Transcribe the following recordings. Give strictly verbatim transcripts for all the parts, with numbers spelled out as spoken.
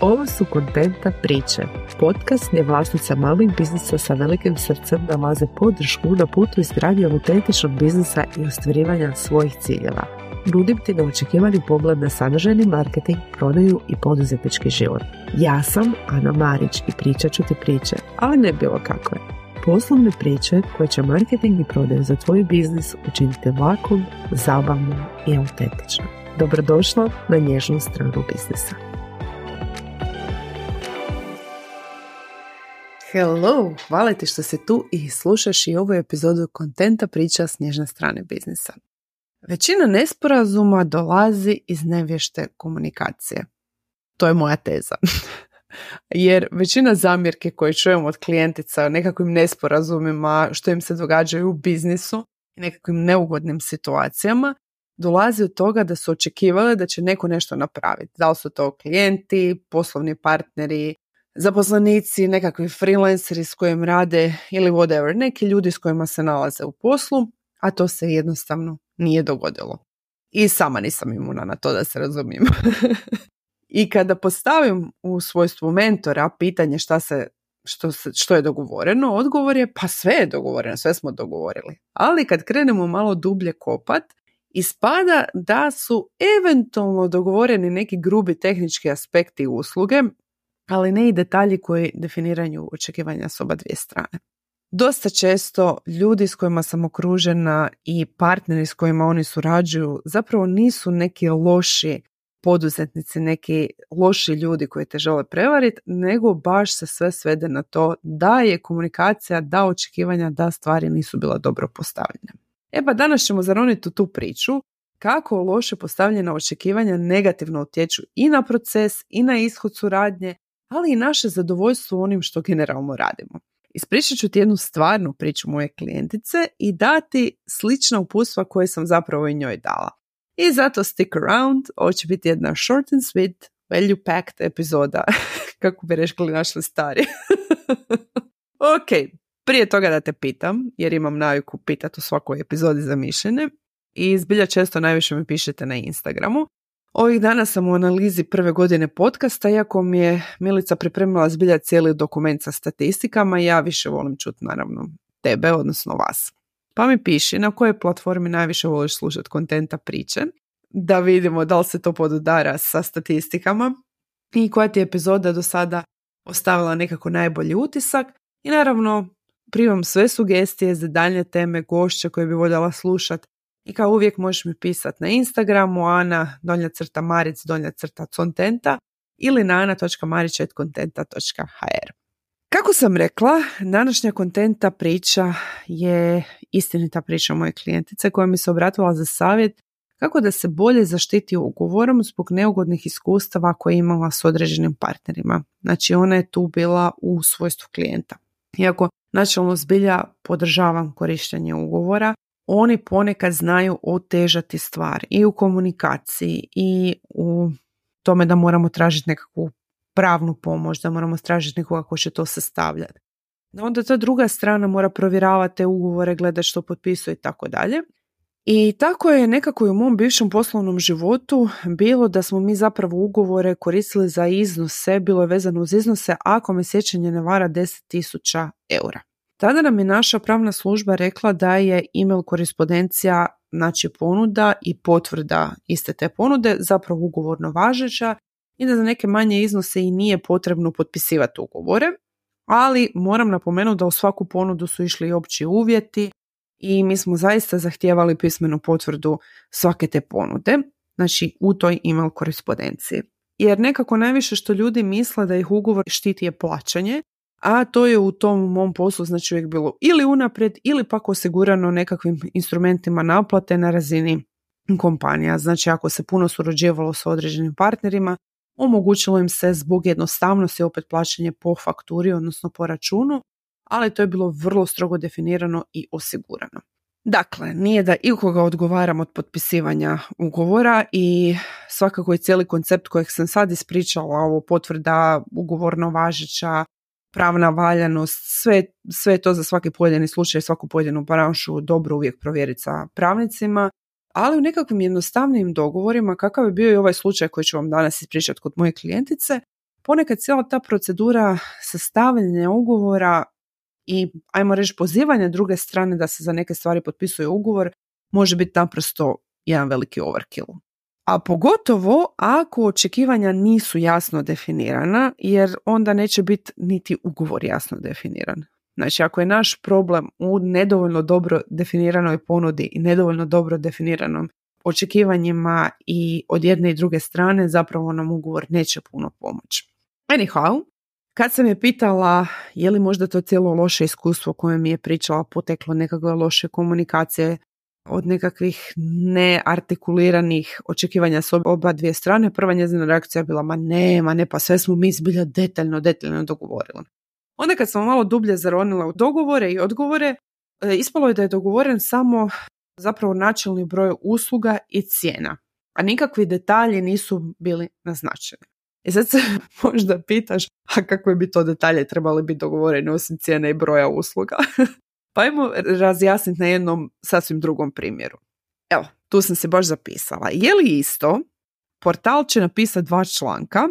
Ovo su Kontenta priče, podcast gdje vlasnica malih biznisa sa velikim srcem nalaze podršku na putu izgradnje autentičnog biznisa i ostvarivanja svojih ciljeva. Nudim ti neočekivani pogled na sadržajni marketing, prodaju i poduzetnički život. Ja sam Ana Marić i pričat ću ti priče, ali ne bilo kakve. Poslovne priče koje će marketing i prodaju za tvoj biznis učiniti lakom, zabavnom i autentičnom. Dobrodošla na nježnu stranu biznisa. Hello, hvala ti što si tu i slušaš i ovu epizodu Kontenta priča s nježne strane biznisa. Većina nesporazuma dolazi iz nevješte komunikacije. To je moja teza. Jer većina zamjerke koje čujemo od klijentica o nekakvim nesporazumima, što im se događaju u biznisu i nekakvim neugodnim situacijama, dolazi od toga da su očekivale da će neko nešto napraviti. Da li su to klijenti, poslovni partneri, zaposlenici, nekakvi freelanceri s kojim rade ili whatever, neki ljudi s kojima se nalaze u poslu, a to se jednostavno nije dogodilo. I sama nisam imuna na to, da se razumijem. I kada postavim u svojstvu mentora pitanje šta se, što, se, što je dogovoreno, odgovor je pa sve je dogovoreno, sve smo dogovorili. Ali kad krenemo malo dublje kopat, ispada da su eventualno dogovoreni neki grubi tehnički aspekti usluge, ali ne i detalji koji definiraju očekivanja s oba dvije strane. Dosta često ljudi s kojima sam okružena i partneri s kojima oni surađuju zapravo nisu neki loši poduzetnici, neki loši ljudi koji te žele prevariti, nego baš se sve svede na to da je komunikacija, da očekivanja, da stvari nisu bila dobro postavljene. E pa danas ćemo zaroniti u tu priču kako loše postavljena očekivanja negativno utječu i na proces i na ishod suradnje, ali i naše zadovoljstvo onim što generalno radimo. Ispričat ću ti jednu stvarnu priču moje klijentice i dati slična uputstva koje sam zapravo i njoj dala. I zato stick around, ovo će biti jedna short and sweet, value packed epizoda, kako bi rekli našli stari. Ok, prije toga da te pitam, jer imam naviku pitati u svakoj epizodi za mišljenje i zbilja često najviše mi pišete na Instagramu. Ovih dana sam u analizi prve godine podcasta, iako mi je Milica pripremila zbilja cijeli dokument sa statistikama, ja više volim čuti naravno tebe, odnosno vas. Pa mi piši na kojoj platformi najviše voliš slušati kontenta priče, da vidimo da li se to podudara sa statistikama i koja ti je epizoda do sada ostavila nekako najbolji utisak. I naravno primam sve sugestije za daljnje teme, gošća koje bi voljela slušati. I kao uvijek možeš mi pisati na Instagramu ana donja crta maric donja crta contenta ili na ana točka marić at kontenta točka ha er. Kako sam rekla, današnja kontenta priča je istinita priča moje klijentice koja mi se obratila za savjet kako da se bolje zaštiti ugovorom zbog neugodnih iskustava koje je imala s određenim partnerima. Znači ona je tu bila u svojstvu klijenta. Iako načelno zbilja podržavam korištenje ugovora, oni ponekad znaju otežati stvar i u komunikaciji i u tome da moramo tražiti nekakvu pravnu pomoć, da moramo tražiti nekoga ko će to sastavljati. Onda ta druga strana mora provjeravati te ugovore, gledati što potpisuje i tako dalje. I tako je nekako i u mom bivšem poslovnom životu bilo da smo mi zapravo ugovore koristili za iznose, bilo je vezano uz iznose ako me sjećanje ne vara deset tisuća eura. Tada nam je naša pravna služba rekla da je email korespondencija, znači ponuda i potvrda iste te ponude, zapravo ugovorno važeća i da za neke manje iznose i nije potrebno potpisivati ugovore, ali moram napomenuti da u svaku ponudu su išli i opći uvjeti i mi smo zaista zahtijevali pismenu potvrdu svake te ponude, znači u toj email korespondenciji. Jer nekako najviše što ljudi misle da ih ugovor štiti je plaćanje, a to je u tom mom poslu znači uvijek bilo ili unaprijed ili pak osigurano nekakvim instrumentima naplate na razini kompanija. Znači ako se puno surađivalo sa određenim partnerima, omogućilo im se zbog jednostavnosti opet plaćanje po fakturi, odnosno po računu, ali to je bilo vrlo strogo definirano i osigurano. Dakle, nije da ikoga odgovaram od potpisivanja ugovora i svakako je cijeli koncept kojeg sam sad ispričala, ovo potvrda, ugovorno važeća, pravna valjanost, sve, sve to za svaki pojedini slučaj, svaku pojedinu branšu dobro uvijek provjeriti sa pravnicima, ali u nekakvim jednostavnim dogovorima, kakav je bio i ovaj slučaj koji ću vam danas ispričati kod moje klijentice, ponekad cijela ta procedura sastavljanja ugovora i, ajmo reći, pozivanje druge strane da se za neke stvari potpisuje ugovor može biti naprosto jedan veliki overkill. A pogotovo ako očekivanja nisu jasno definirana, jer onda neće biti niti ugovor jasno definiran. Znači, ako je naš problem u nedovoljno dobro definiranoj ponudi i nedovoljno dobro definiranom očekivanjima i od jedne i druge strane, zapravo nam ugovor neće puno pomoći. Anyhow, kad sam je pitala je li možda to cijelo loše iskustvo koje mi je pričala poteklo nekakve loše komunikacije od nekakvih neartikuliranih očekivanja s oba dvije strane, prva njezina reakcija je bila ma ne, ma ne, pa sve smo mi zbilja detaljno, detaljno dogovorili. Onda kad sam malo dublje zaronila u dogovore i odgovore, ispalo je da je dogovoren samo zapravo načelni broj usluga i cijena, a nikakvi detalji nisu bili naznačeni. I sad se možda pitaš, a kakve bi to detalje trebali biti dogovoreni osim cijene i broja usluga? Pa ajmo razjasniti na jednom sasvim drugom primjeru. Evo, tu sam se baš zapisala. Je li isto, portal će napisati dva članka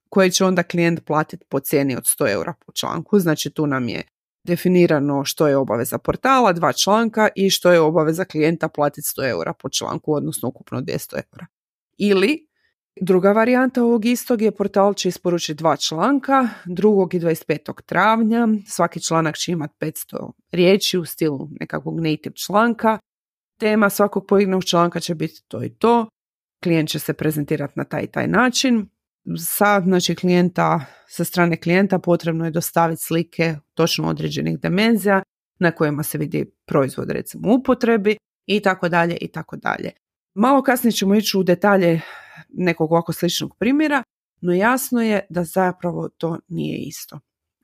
koje će onda klijent platiti po cijeni od sto eura po članku, znači tu nam je definirano što je obaveza portala, dva članka i što je obaveza klijenta platiti sto eura po članku, odnosno ukupno dvjesto eura. Ili druga varijanta ovog istog je portal će isporučiti dva članka, drugog i dvadeset petog travnja, svaki članak će imati petsto riječi u stilu nekakvog native članka, tema svakog pojedinog članka će biti to i to, klijent će se prezentirati na taj i taj način. Sa, znači, klijenta, sa strane klijenta potrebno je dostaviti slike točno određenih dimenzija na kojima se vidi proizvod recimo u upotrebi i tako dalje i tako dalje. Malo kasnije ćemo ići u detalje nekog ovako sličnog primjera, no jasno je da zapravo to nije isto.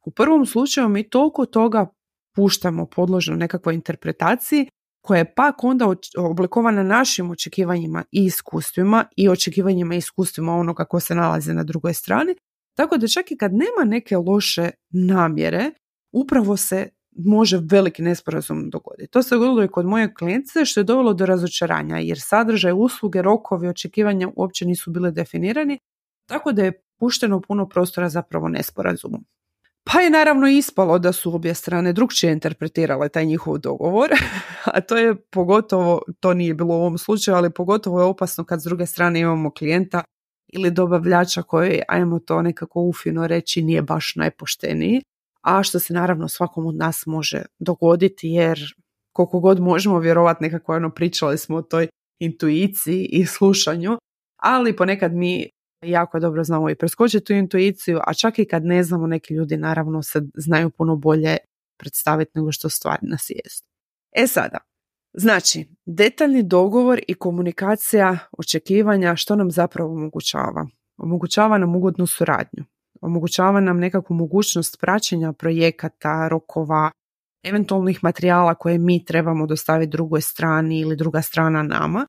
U prvom slučaju mi toliko toga puštamo podložno nekakvoj interpretaciji koja je pak onda oblikovana našim očekivanjima i iskustvima i očekivanjima i iskustvima onoga ko se nalazi na drugoj strani, tako da čak i kad nema neke loše namjere, upravo se može veliki nesporazum dogoditi. To se dogodilo i kod moje klijentice, što je dovelo do razočaranja, jer sadržaj usluge, rokovi, očekivanja uopće nisu bile definirani, tako da je pušteno puno prostora zapravo nesporazumu. Pa je naravno ispalo da su obje strane drukčije interpretirale taj njihov dogovor, a to je pogotovo, to nije bilo u ovom slučaju, ali pogotovo je opasno kad s druge strane imamo klijenta ili dobavljača koji, ajmo to nekako ufino reći, nije baš najpošteniji, a što se naravno svakom od nas može dogoditi, jer koliko god možemo vjerovati nekako, ono, pričali smo o toj intuiciji i slušanju, ali ponekad mi jako dobro znamo i preskočiti tu intuiciju, a čak i kad ne znamo, neki ljudi naravno se znaju puno bolje predstaviti nego što stvari nas jest. E sada, znači, detaljni dogovor i komunikacija očekivanja što nam zapravo omogućava? Omogućava nam ugodnu suradnju, omogućava nam nekakvu mogućnost praćenja projekata, rokova, eventualnih materijala koje mi trebamo dostaviti drugoj strani ili druga strana nama,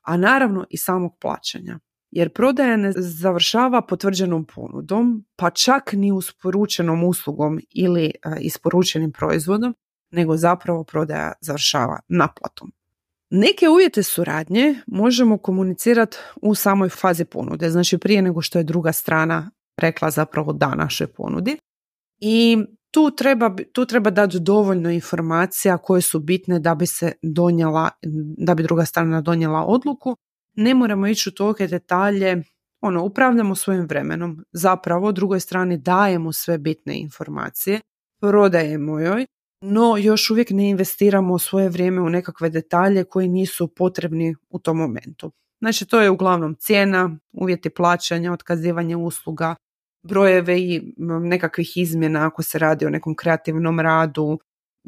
a naravno i samog plaćanja. Jer prodaja ne završava potvrđenom ponudom, pa čak ni isporučenom uslugom ili a, isporučenim proizvodom, nego zapravo prodaja završava naplatom. Neke uvjete suradnje možemo komunicirati u samoj fazi ponude, znači prije nego što je druga strana rekla zapravo da našoj ponudi. I tu treba, tu treba dati dovoljno informacija koje su bitne da bi se donijela, da bi druga strana donijela odluku. Ne moramo ići u tolike detalje, ono, upravljamo svojim vremenom, zapravo drugoj strani dajemo sve bitne informacije, prodajemo joj, no još uvijek ne investiramo svoje vrijeme u nekakve detalje koji nisu potrebni u tom momentu. Znači, to je uglavnom cijena, uvjeti plaćanja, otkazivanje usluga, brojeve i nekakvih izmjena ako se radi o nekom kreativnom radu,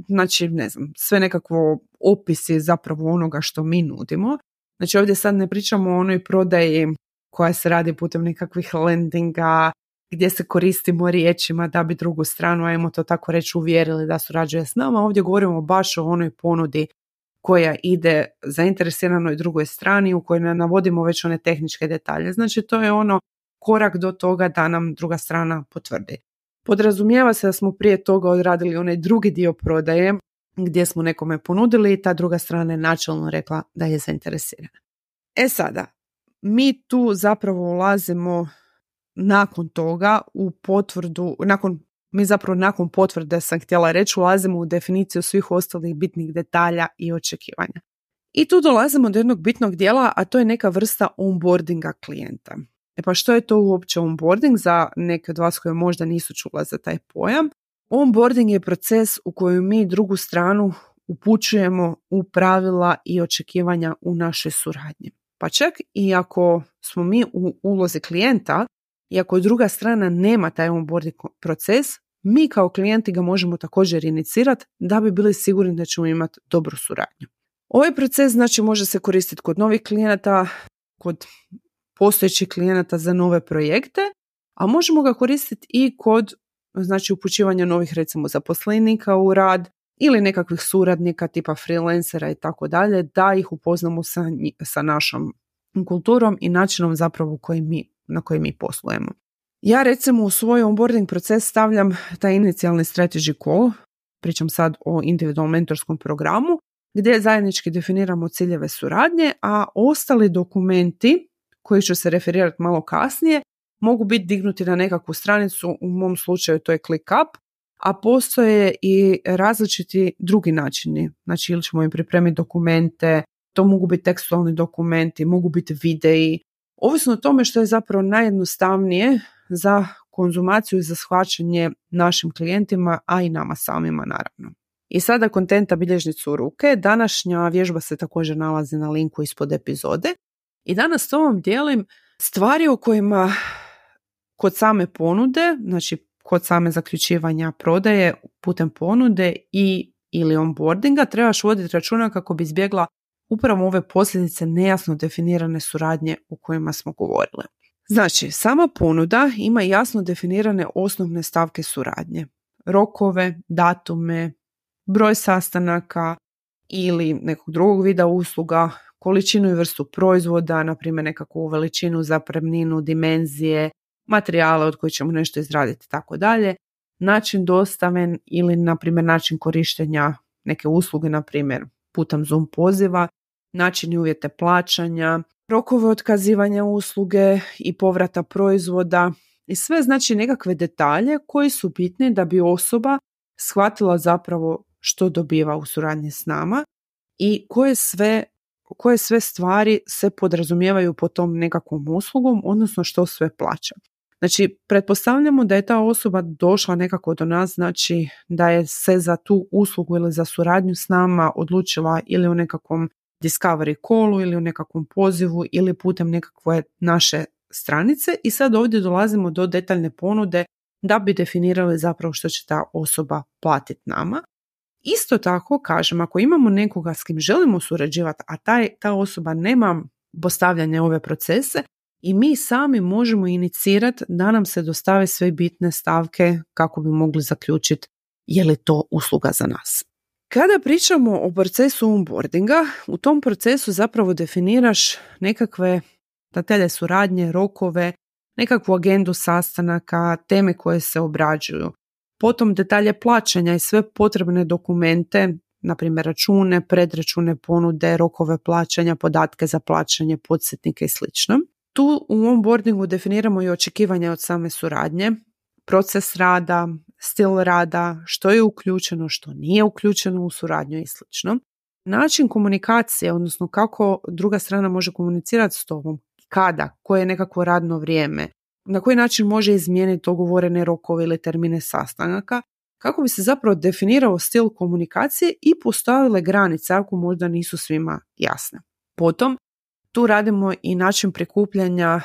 znači, ne znam, sve nekakvo opisi zapravo onoga što mi nudimo. Znači, ovdje sad ne pričamo o onoj prodaji koja se radi putem nekakvih landinga, gdje se koristimo riječima da bi drugu stranu, ajmo to tako reći, uvjerili da surađuje s nama. Ovdje govorimo baš o onoj ponudi koja ide zainteresiranoj drugoj strani, u kojoj navodimo već one tehničke detalje. Znači, to je ono korak do toga da nam druga strana potvrdi. Podrazumijeva se da smo prije toga odradili onaj drugi dio prodaje, gdje smo nekome ponudili i ta druga strana je načelno rekla da je zainteresirana. E sada, mi tu zapravo ulazimo nakon toga u potvrdu, nakon, mi zapravo nakon potvrde sam htjela reći, ulazimo u definiciju svih ostalih bitnih detalja i očekivanja. I tu dolazimo do jednog bitnog dijela, a to je neka vrsta onboardinga klijenta. E pa što je to uopće onboarding za neke od vas koje možda nisu čula za taj pojam? Onboarding je proces u kojem mi drugu stranu upućujemo u pravila i očekivanja u našoj suradnji. Pa čak i ako smo mi u ulozi klijenta i ako druga strana nema taj onboarding proces, mi kao klijenti ga možemo također inicirati da bi bili sigurni da ćemo imati dobru suradnju. Ovaj proces znači može se koristiti kod novih klijenata, kod postojećih klijenata za nove projekte, a možemo ga koristiti i kod znači upućivanja novih recimo zaposlenika u rad ili nekakvih suradnika tipa freelancera i tako dalje, da ih upoznamo sa, sa našom kulturom i načinom zapravo koji mi, na koji mi poslujemo. Ja recimo u svoj onboarding proces stavljam taj inicijalni strategy call, pričam sad o individualnom mentorskom programu, gdje zajednički definiramo ciljeve suradnje, a ostali dokumenti koji ću se referirati malo kasnije mogu biti dignuti na nekakvu stranicu, u mom slučaju to je ClickUp, a postoje i različiti drugi načini. Znači ili ćemo im pripremiti dokumente, to mogu biti tekstualni dokumenti, mogu biti videi, ovisno o tome što je zapravo najjednostavnije za konzumaciju i za shvaćanje našim klijentima, a i nama samima naravno. I sada kontenta bilježnicu u ruke. Današnja vježba se također nalazi na linku ispod epizode. I danas s ovom dijelim stvari o kojima kod same ponude, znači kod same zaključivanja prodaje putem ponude i ili onboardinga trebaš voditi računa kako bi izbjegla upravo ove posljedice nejasno definirane suradnje o kojima smo govorili. Znači, sama ponuda ima jasno definirane osnovne stavke suradnje. Rokove, datume, broj sastanaka ili nekog drugog vida usluga, količinu i vrstu proizvoda, na primjer nekakvu veličinu, zapremninu, dimenzije, materijale od kojih ćemo nešto izraditi i tako dalje, način dostave ili na primjer način korištenja neke usluge, na primjer putem Zoom poziva, način i uvjete plaćanja, rokove otkazivanja usluge i povrata proizvoda i sve znači nekakve detalje koji su bitni da bi osoba shvatila zapravo što dobiva u suradnji s nama i koje sve, koje sve stvari se podrazumijevaju po tom nekakvom uslugom, odnosno što sve plaća. Znači, pretpostavljamo da je ta osoba došla nekako do nas, znači da je se za tu uslugu ili za suradnju s nama odlučila ili u nekakvom discovery callu ili u nekakvom pozivu ili putem nekakve naše stranice i sad ovdje dolazimo do detaljne ponude da bi definirali zapravo što će ta osoba platiti nama. Isto tako, kažem, ako imamo nekoga s kim želimo surađivati, a taj, ta osoba nema postavljanje ove procese, i mi sami možemo inicirati da nam se dostave sve bitne stavke kako bi mogli zaključiti je li to usluga za nas. Kada pričamo o procesu onboardinga, u tom procesu zapravo definiraš nekakve detalje suradnje, rokove, nekakvu agendu sastanaka, teme koje se obrađuju. Potom detalje plaćanja i sve potrebne dokumente, na primjer račune, predračune, ponude, rokove plaćanja, podatke za plaćanje, podsjetnike i sl. Tu u onboardingu definiramo i očekivanja od same suradnje, proces rada, stil rada, što je uključeno, što nije uključeno u suradnju i sl. Način komunikacije, odnosno kako druga strana može komunicirati s tobom, kada, koje je nekakvo radno vrijeme, na koji način može izmijeniti dogovorene rokove ili termine sastanaka, kako bi se zapravo definirao stil komunikacije i postavile granice ako možda nisu svima jasne. Potom, tu radimo i način prikupljanja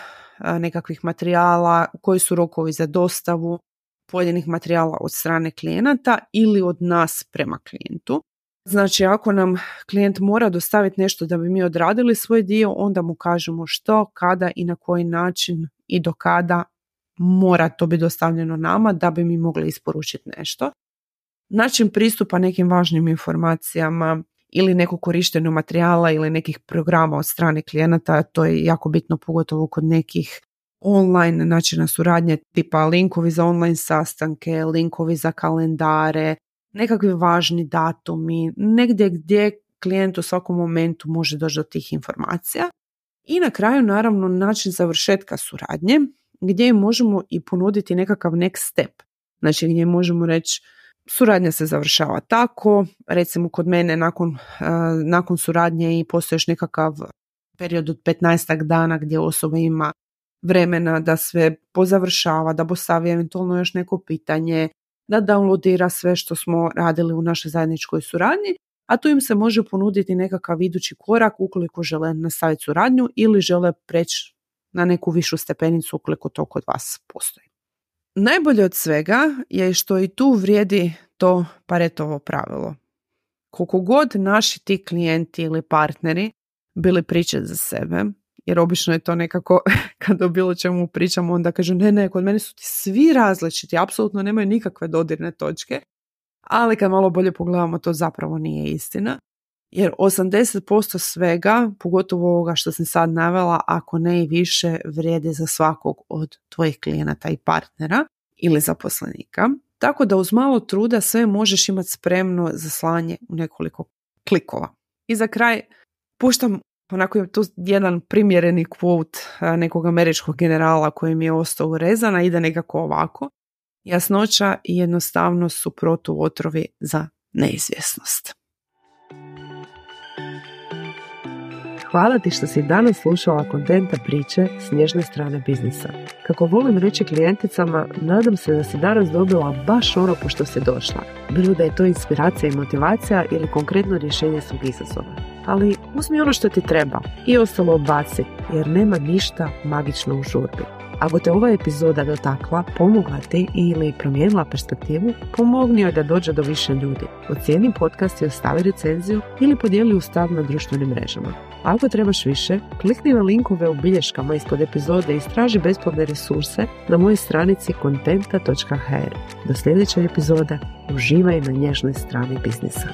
nekakvih materijala, koji su rokovi za dostavu pojedinih materijala od strane klijenata ili od nas prema klijentu. Znači, ako nam klijent mora dostaviti nešto da bi mi odradili svoj dio, onda mu kažemo što, kada i na koji način i do kada mora to biti dostavljeno nama da bi mi mogli isporučiti nešto. Način pristupa nekim važnim informacijama ili nekog korištenja materijala ili nekih programa od strane klijenata, to je jako bitno pogotovo kod nekih online načina suradnje, tipa linkovi za online sastanke, linkovi za kalendare, nekakvi važni datumi, negdje gdje klijent u svakom momentu može doći do tih informacija. I na kraju naravno način završetka suradnje, gdje im možemo i ponuditi nekakav next step. Znači gdje možemo reći suradnja se završava tako, recimo kod mene nakon, uh, nakon suradnje i postoji još nekakav period od petnaestak dana gdje osoba ima vremena da sve pozavršava, da postavi eventualno još neko pitanje, da downloadira sve što smo radili u našoj zajedničkoj suradnji, a tu im se može ponuditi nekakav idući korak ukoliko žele nastaviti suradnju ili žele preći na neku višu stepenicu ukoliko to kod vas postoji. Najbolje od svega je što i tu vrijedi to Paretovo pravilo. Koliko god naši ti klijenti ili partneri bili priče za sebe, jer obično je to nekako kad o bilo čemu pričamo onda kažu ne, ne, kod mene su ti svi različiti, apsolutno nemaju nikakve dodirne točke, ali kad malo bolje pogledamo to zapravo nije istina, jer osamdeset posto svega, pogotovo ovoga što sam sad navela, ako ne i više, vrijedi za svakog od tvojih klijenata i partnera ili zaposlenika. Tako da uz malo truda sve možeš imati spremno za slanje u nekoliko klikova. I za kraj puštam onako je tu jedan primjereni quote nekog američkog generala koji mi je ostao urezan, a ide nekako ovako. Jasnoća i jednostavnost su protuotrovi za neizvjesnost. Hvala ti što si danas slušala Kontenta priče s nježne strane biznisa. Kako volim reći klijenticama, nadam se da si danas dobila baš ono po što si došla. Bilo da je to inspiracija i motivacija ili konkretno rješenje svog izazova. Ali uzmi ono što ti treba i ostalo odbaci, jer nema ništa magično u žurbi. Ako te ova epizoda dotakla, pomogla ti ili promijenila perspektivu, pomogni joj da dođe do više ljudi. Ocijeni podcast i ostavi recenziju ili podijeli u stav na društvenim mrežama. Ako trebaš više, klikni na linkove u bilješkama ispod epizode i istraži besplatne resurse na mojoj stranici kontenta točka h r. Do sljedeće epizode, uživaj na nježnoj strani biznisa.